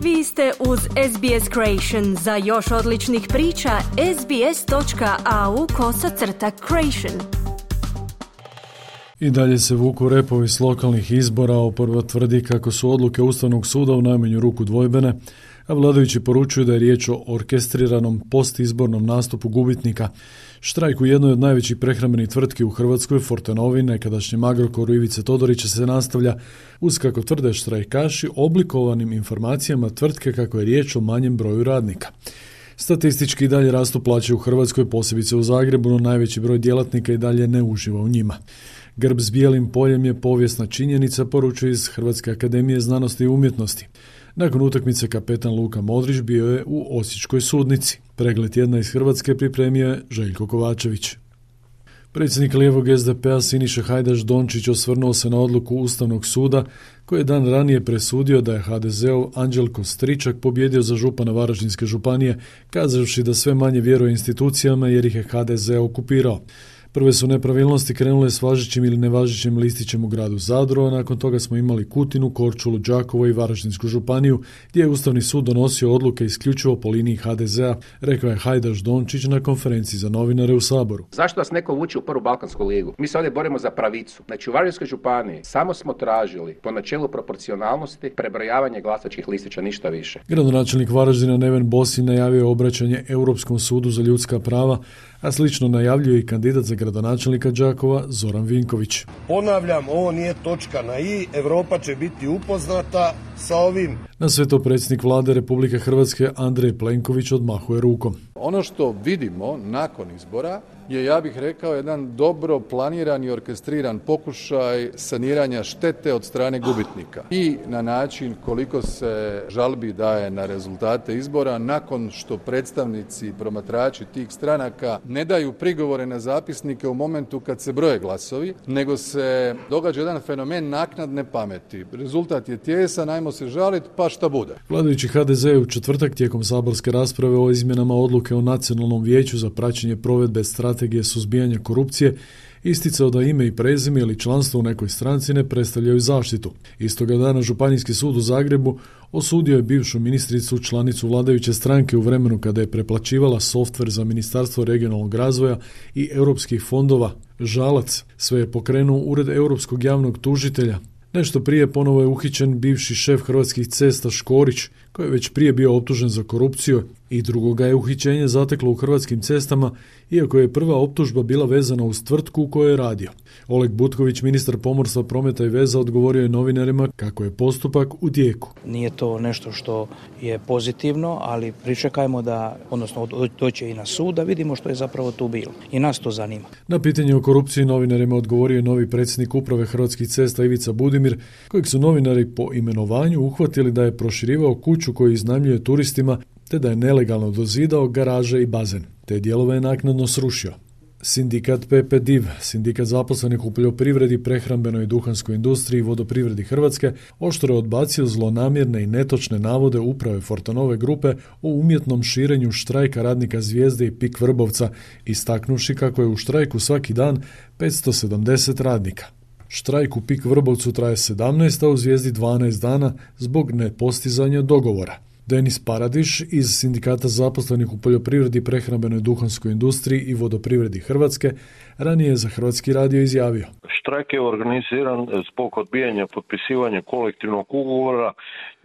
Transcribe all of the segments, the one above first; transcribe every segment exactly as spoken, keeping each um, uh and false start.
Vi ste uz S B S Creation. Za još odličnih priča, sbs.au kosacrta creation. I dalje se vuku repovi s lokalnih izbora. Oporba tvrdi kako su odluke Ustavnog suda u najmanju ruku dvojbene, a vladajući poručuju da je riječ o orkestriranom postizbornom nastupu gubitnika. Štrajk u jednoj od najvećih prehrambenih tvrtki u Hrvatskoj, Fortenovi, nekadašnjem Agrokoru Ivice Todorića, se nastavlja uz, kako tvrde štrajkaši, oblikovanim informacijama tvrtke kako je riječ o manjem broju radnika. Statistički i dalje rastu plaće u Hrvatskoj, posebice u Zagrebu, no najveći broj djelatnika i dalje ne uživa u njima. Grb s bijelim poljem je povijesna činjenica, poručuje iz Hrvatske akademije znanosti i umjetnosti. Nakon utakmice kapetan Luka Modrić bio je u Osječkoj sudnici. Pregled tjedna iz Hrvatske pripremio je Željko Kovačević. Predsjednik lijevog S D P-a Siniša Hajdaš Dončić osvrnuo se na odluku Ustavnog suda koji je dan ranije presudio da je ha de zeov Anđelko Stričak pobjedio za župana Varaždinske županije, kazavši da sve manje vjeruje institucijama jer ih je ha de ze okupirao. Prve su nepravilnosti krenule s važećim ili nevažećim listićem u gradu Zadru, a nakon toga smo imali Kutinu, Korčulu, Đakovo i Varaždinsku županiju, gdje je Ustavni sud donosio odluke isključivo po liniji ha de zea, rekao je Hajdaš Dončić na konferenciji za novinare u Saboru. Zašto nas neko vuče u prvu Balkansku ligu? Mi se ovdje borimo za pravicu. Znači u Varaždinskoj županiji samo smo tražili po načelu proporcionalnosti prebrojavanje glasačkih listića, ništa više. Gradonačelnik Varaždina Neven Bosi najavio je obraćanje Europskom sudu za ljudska prava, a slično najavljuje i kandidat za gradonačelnika Đakova Zoran Vinković. Ponavljam, ovo nije točka na i, Europa će biti upoznata sa ovim. Na sve to predsjednik vlade Republike Hrvatske Andrej Plenković odmahuje rukom. Ono što vidimo nakon izbora je, ja bih rekao, jedan dobro planiran i orkestriran pokušaj saniranja štete od strane gubitnika. I na način koliko se žalbi daje na rezultate izbora nakon što predstavnici i promatrači tih stranaka ne daju prigovore na zapisnike u momentu kad se broje glasovi, nego se događa jedan fenomen naknadne pameti. Rezultat je tijesan, ajmo se žaliti, pa šta bude. Vladajući ha de ze je u četvrtak tijekom saborske rasprave o izmjenama odluke o Nacionalnom vijeću za praćenje provedbe strategije suzbijanja korupcije isticao da ime i prezime ili članstvo u nekoj stranci ne predstavljaju zaštitu. Istoga dana Županijski sud u Zagrebu osudio je bivšu ministricu, članicu vladajuće stranke, u vremenu kada je preplaćivala softver za Ministarstvo regionalnog razvoja i europskih fondova Žalac. Sve je pokrenuo Ured europskog javnog tužitelja. Nešto prije ponovo je uhićen bivši šef Hrvatskih cesta Škorić, koji je već prije bio optužen za korupciju, i drugoga je uhićenje zateklo u Hrvatskim cestama, iako je prva optužba bila vezana uz tvrtku u kojoj je radio. Oleg Butković, ministar pomorstva, prometa i veza, odgovorio je novinarima kako je postupak u tijeku. Nije to nešto što je pozitivno, ali pričekajmo da, odnosno doće i na sud, da vidimo što je zapravo tu bilo. I nas to zanima. Na pitanje o korupciji novinarima odgovorio je novi predsjednik uprave Hrvatskih cesta Ivica Budimir, kojeg su novinari po imenovanju uhvatili da je proširivao kuću koju iznajmljuje turistima, te da je nelegalno dozidao garaže i bazen. Te dijelove je naknadno srušio. Sindikat pe pe div, sindikat zaposlenih u poljoprivredi, prehrambenoj i duhanskoj industriji i vodoprivredi Hrvatske, oštro je odbacio zlonamjerne i netočne navode uprave Fortenove grupe o umjetnom širenju štrajka radnika Zvijezde i Pik Vrbovca, istaknuši kako je u štrajku svaki dan petsto sedamdeset radnika. Štrajk u Pik Vrbovcu traje sedamnaest, a u Zvijezdi dvanaest dana zbog nepostizanja dogovora. Denis Paradiš iz sindikata zaposlenih u poljoprivredi, prehrambenoj, duhanskoj industriji i vodoprivredi Hrvatske ranije je za Hrvatski radio izjavio: Štrajk je organiziran zbog odbijanja potpisivanja kolektivnog ugovora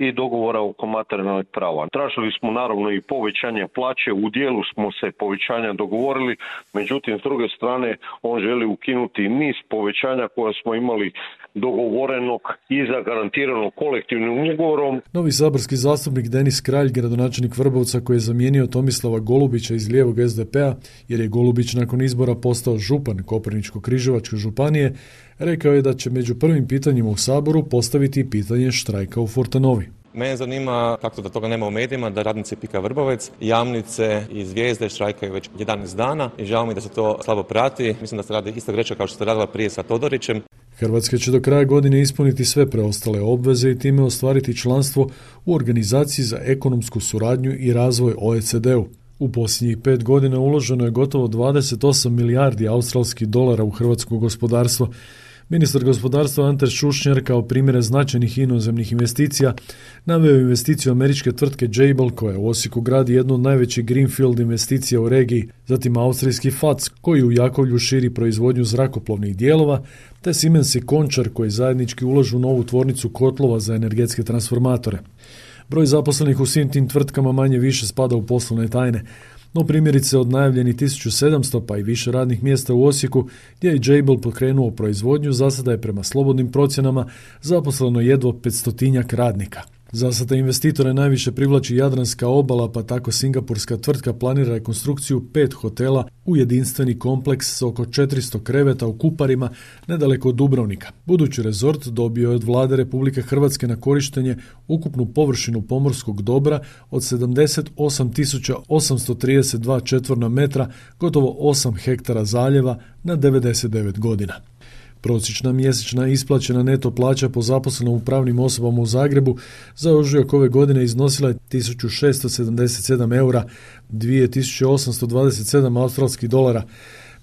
i dogovora oko materijalnog prava. Tražili smo naravno i povećanje plaće, u dijelu smo se povećanja dogovorili, međutim s druge strane on želi ukinuti niz povećanja koja smo imali dogovorenog i zagarantirano kolektivnim ugovorom. Novi saborski zastupnik Denis Kralj, gradonačelnik Vrbovca koji je zamijenio Tomislava Golubića iz lijevog es de pe-a, jer je Golubić nakon izbora postao župan Koprivničko-križevačke županije, rekao je da će među prvim pitanjima u Saboru postaviti pitanje štrajka u Fortenovi. Mene zanima kako da toga nema u medijima, da radnici Pika Vrbovec, Jamnice i Zvijezde štrajkaju već jedanaest dana i žao mi da se to slabo prati. Mislim da se radi isto greška kao što se radila prije sa Todorićem. Hrvatska će do kraja godine ispuniti sve preostale obveze i time ostvariti članstvo u Organizaciji za ekonomsku suradnju i razvoj o e ce de-u. U posljednjih pet godina uloženo je gotovo dvadeset osam milijardi australskih dolara u hrvatsko gospodarstvo. Ministar gospodarstva Ante Šušnjar kao primjere značajnih inozemnih investicija naveo investiciju američke tvrtke Jabil koja u Osijeku gradi jednu od najvećih greenfield investicija u regiji, zatim austrijski F A C koji u Jakovlju širi proizvodnju zrakoplovnih dijelova, te Siemens i Končar koji zajednički ulažu u novu tvornicu kotlova za energetske transformatore. Broj zaposlenih u svim tim tvrtkama manje više spada u poslovne tajne, no primjerice od najavljenih tisuću sedamsto pa i više radnih mjesta u Osijeku, gdje je Jabil pokrenuo proizvodnju, za sada je prema slobodnim procjenama zaposleno jedva petstotinjak radnika. Za sada investitore najviše privlači Jadranska obala, pa tako singapurska tvrtka planira rekonstrukciju pet hotela u jedinstveni kompleks s oko četiristo kreveta u Kuparima, nedaleko od Dubrovnika. Budući rezort dobio je od vlade Republike Hrvatske na korištenje ukupnu površinu pomorskog dobra od sedamdeset osam tisuća osamsto trideset dva četvorna metra, gotovo osam hektara zaljeva na devedeset devet godina. Prosječna mjesečna isplaćena neto plaća po zaposlenom u pravnim osobama u Zagrebu za ožujak ove godine iznosila je tisuću šesto sedamdeset sedam eura, dvije tisuće osamsto dvadeset sedam australskih dolara.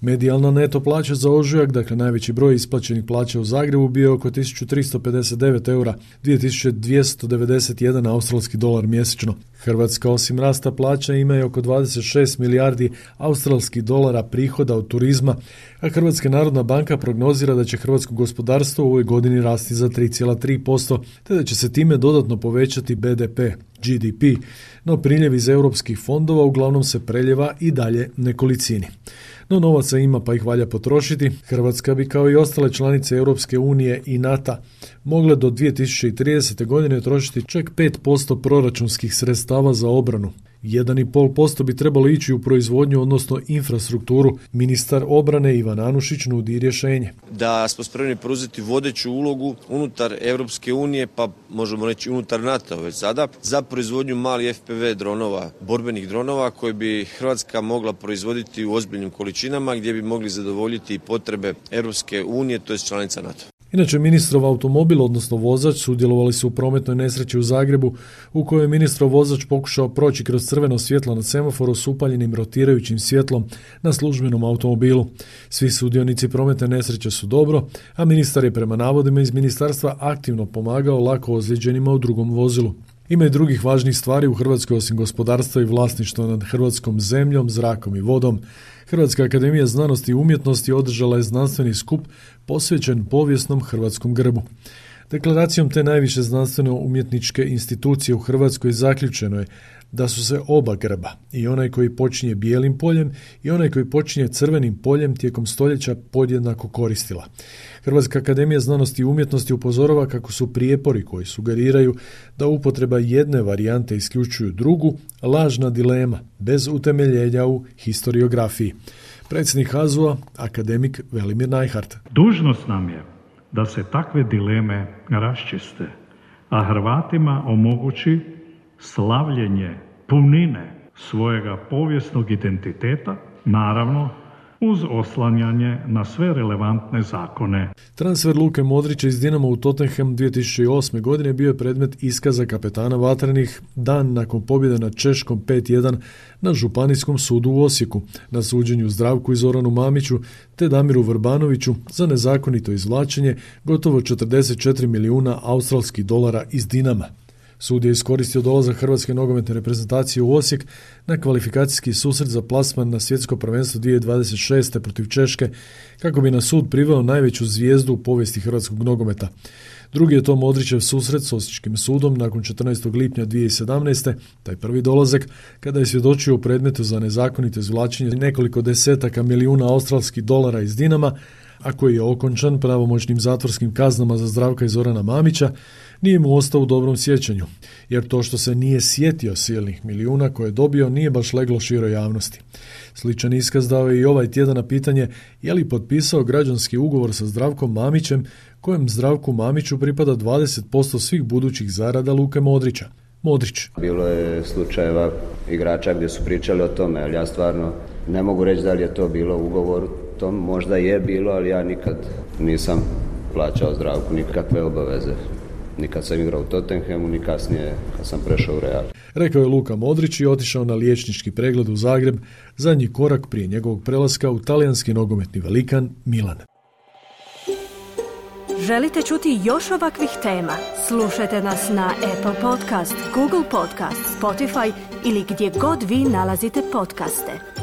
Medijalna neto plaća za ožujak, dakle najveći broj isplaćenih plaća u Zagrebu, bio je oko tisuću tristo pedeset devet eura, dvije tisuće dvjesto devedeset jedan australski dolar mjesečno. Hrvatska osim rasta plaća ima i oko dvadeset šest milijardi australskih dolara prihoda od turizma, a Hrvatska narodna banka prognozira da će hrvatsko gospodarstvo u ovoj godini rasti za tri zarez tri posto, te da će se time dodatno povećati B D P, G D P, no priljev iz europskih fondova uglavnom se preljeva i dalje nekolicini. No novaca ima pa ih valja potrošiti. Hrvatska bi kao i ostale članice Europske unije i NATO mogle do dvije tisuće tridesete. godine trošiti čak pet posto proračunskih sredstava za obranu. jedan zarez pet posto bi trebalo ići u proizvodnju, odnosno infrastrukturu. Ministar obrane Ivan Anušić nudi rješenje. Da smo spremni preuzeti vodeću ulogu unutar Europske unije, pa možemo reći unutar NATO već sada, za proizvodnju malih F P V dronova, borbenih dronova koje bi Hrvatska mogla proizvoditi u ozbiljnim količinama gdje bi mogli zadovoljiti potrebe Europske unije, to je članica NATO. Inače, ministrov automobil, odnosno vozač, sudjelovali su u prometnoj nesreći u Zagrebu, u kojoj je ministrov vozač pokušao proći kroz crveno svjetlo na semaforu s upaljenim rotirajućim svjetlom na službenom automobilu. Svi sudionici prometne nesreće su dobro, a ministar je prema navodima iz ministarstva aktivno pomagao lako ozlijeđenima u drugom vozilu. Ima i drugih važnih stvari u Hrvatskoj osim gospodarstva i vlasništva nad hrvatskom zemljom, zrakom i vodom. Hrvatska akademija znanosti i umjetnosti održala je znanstveni skup posvećen povijesnom hrvatskom grbu. Deklaracijom te najviše znanstveno-umjetničke institucije u Hrvatskoj zaključeno je da su se oba grba, i onaj koji počinje bijelim poljem i onaj koji počinje crvenim poljem, tijekom stoljeća podjednako koristila. Hrvatska akademija znanosti i umjetnosti upozorava kako su prijepori koji sugeriraju da upotreba jedne varijante isključuju drugu lažna dilema, bez utemeljenja u historiografiji. Predsjednik H A Z U-a, akademik Velimir Najhart. Dužnost nam je da se takve dileme raščiste, a Hrvatima omogući slavljenje punine svojega povijesnog identiteta, naravno uz oslanjanje na sve relevantne zakone. Transfer Luke Modrića iz Dinama u Tottenham dvije tisuće osme. godine bio je predmet iskaza kapetana Vatrenih dan nakon pobjede nad Češkom pet jedan na Županijskom sudu u Osijeku, na suđenju Zdravku i Zoranu Mamiću te Damiru Vrbanoviću za nezakonito izvlačenje gotovo četrdeset četiri milijuna australskih dolara iz Dinama. Sud je iskoristio dolazak hrvatske nogometne reprezentacije u Osijek na kvalifikacijski susret za plasman na svjetsko prvenstvo dvije tisuće dvadeset šeste. protiv Češke, kako bi na sud priveo najveću zvijezdu u povijesti hrvatskog nogometa. Drugi je to Modrićev susret s Osječkim sudom nakon četrnaestog lipnja dvije tisuće sedamnaeste. Taj prvi dolazak kada je svjedočio u predmetu za nezakonito izvlačenje nekoliko desetaka milijuna australskih dolara iz Dinama, a koji je okončan pravomoćnim zatvorskim kaznama za Zdravka i Zorana Mamića, nije mu ostao u dobrom sjećanju, jer to što se nije sjetio silnih milijuna koje je dobio nije baš leglo široj javnosti. Sličan iskaz dao je i ovaj tjedan na pitanje je li potpisao građanski ugovor sa Zdravkom Mamićem, kojem Zdravku Mamiću pripada dvadeset posto svih budućih zarada Luke Modrića. Modrić. Bilo je slučajeva igrača gdje su pričali o tome, ali ja stvarno ne mogu reći da li je to bilo u ugovoru. To možda je bilo, ali ja nikad nisam plaćao Zdravku nikakve obaveze. Nikad sam igrao u Tottenhamu, ni kasnije kad sam prešao u Real. Rekao je Luka Modrić i otišao na liječnički pregled u Zagreb, zadnji korak prije njegovog prelaska u talijanski nogometni velikan Milan. Želite čuti još ovakvih tema? Slušajte nas na Apple Podcast, Google Podcast, Spotify ili gdje god vi nalazite podcaste.